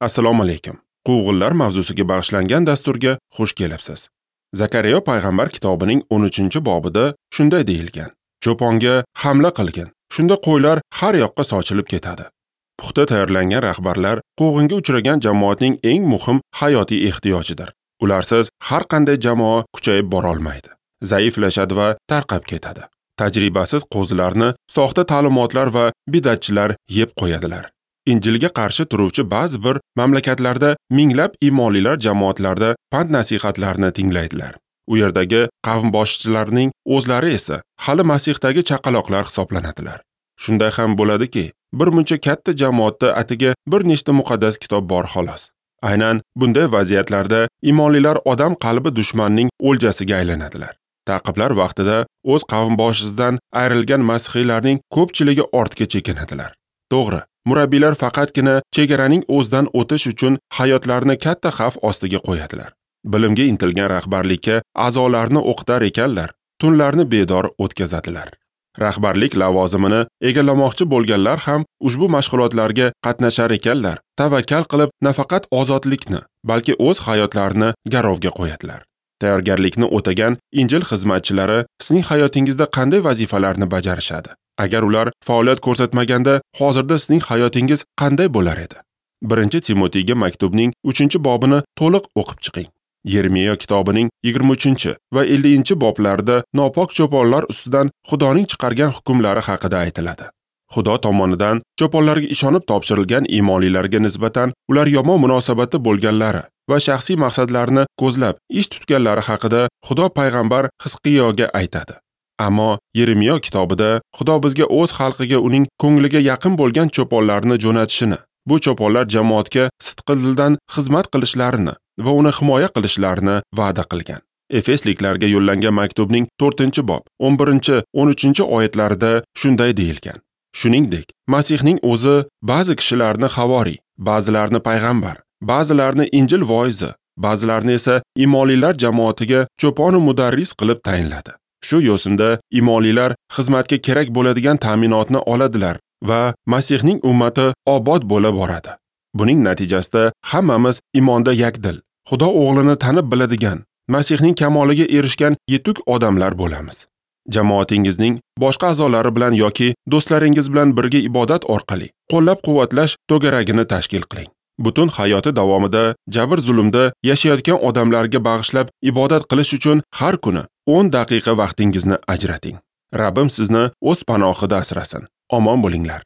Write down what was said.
Assalomu alaykum. Quvg'inlar mavzusiga bag'ishlangan dasturga xush kelibsiz. Zakariya payg'ambar kitobining 13-bobida shunday deyilgan: Cho'ponga hamla qilgin. Shunda qo'ylar har yoqqa sochilib ketadi. Puxta tayyorlangan rahbarlar quvg'inga uchragan jamoatning eng muhim hayotiy ehtiyojidir. Ularsiz har qanday jamoa kuchayib bora olmaydi, zaiflashadi va tarqab ketadi. Tajribasiz qo'zilarni soxta ta'limotlar va bidatchilar yeb qo'yadilar. Injilga qarshi turuvchi ba'zi bir mamlakatlarda minglab imonlilar jamoatlarda pand-nasihatlarni tinglaydilar. U yerdagi qavm boshchilarning o'zlari esa hali Masihdagi chaqaloqlar hisoblanadilar. Shunday ham bo'ladiki, bir muncha katta jamoatda atigi bir nechta muqaddas kitob bor xolos. Aynan bunday vaziyatlarda imonlilar odam qalbi dushmanning o'ljasiga aylanadilar. Ta'qiblar vaqtida o'z qavm boshisidan ayrilgan masihiylarning ko'pchiligi ortga chekinadilar. To'g'ri, murabbiylar faqatgina chegaraning o'zidan o'tish uchun hayotlarini katta xavf ostiga qo'yadilar. Bilimga intilgan rahbarlikka a'zolarni o'qitar ekanlar, tunlarni bedor o'tkazadilar. Rahbarlik lavozimini egallamoqchi bo'lganlar ham ushbu mashg'ulotlarga qatnashar ekanlar, tavakkal qilib nafaqat ozodlikni, balki o'z hayotlarini garovga qo'yadilar. Tayyorgarlikni o'tagan Injil xizmatchilari sizning hayotingizda qanday vazifalarni bajarishadi? Agar ular faoliyat ko'rsatmaganda, hozirda sizning hayotingiz qanday bo'lar edi? 1-Timotiyga maktubning 3-bobini to'liq o'qib chiqing. Yeremiya kitobining 23 va 50-boblarida nopok cho'ponlar ustidan Xudoning chiqargan hukmlari haqida aytiladi. Xudo tomonidan cho'ponlarga ishonib topshirilgan iymonlilarga nisbatan ular yomon munosabatda bo'lganlari va shaxsiy maqsadlarini ko'zlab ish tutganlari haqida Xudo payg'ambar Hizqiyoga aytadi. Ammo Yeremiya kitobida Xudo bizga o'z xalqiga uning ko'ngliga yaqin bo'lgan cho'ponlarni jo'natishini, bu cho'ponlar jamoatga sidqidildan xizmat qilishlarini va uni himoya qilishlarini va'da qilgan. Efesliklarga yo'llangan maktubning 4-bob 11-13 oyatlarida shunday deyilgan: Shuningdek, Masihning o'zi ba'zi kishilarni havoriy, ba'zilarini payg'ambar, ba'zilarini Injil voizi, ba'zilarini esa imonlilar jamoatiga cho'pon va mudarris qilib tayinladi. Shu yo'sinda imonlilar xizmatga kerak bo'ladigan ta'minotni oladilar va Masihning ummati obod bo'la boradi. Buning natijasida hammamiz imonda yakdil, Xudo o'g'lini tanib biladigan, Masihning kamoliga erishgan yetuk odamlar bo'lamiz. Jamoatingizning boshqa a'zolari bilan yoki do'stlaringiz bilan birga ibodat orqali qo'llab-quvvatlash to'garagini tashkil qiling. Butun hayoti davomida jabr-zulmda yashayotgan odamlarga bag'ishlab ibodat qilish uchun har kuni 10 daqiqa vaqtingizni ajrating. Rabbim sizni o'z panohida asrasin. Omon bo'linglar.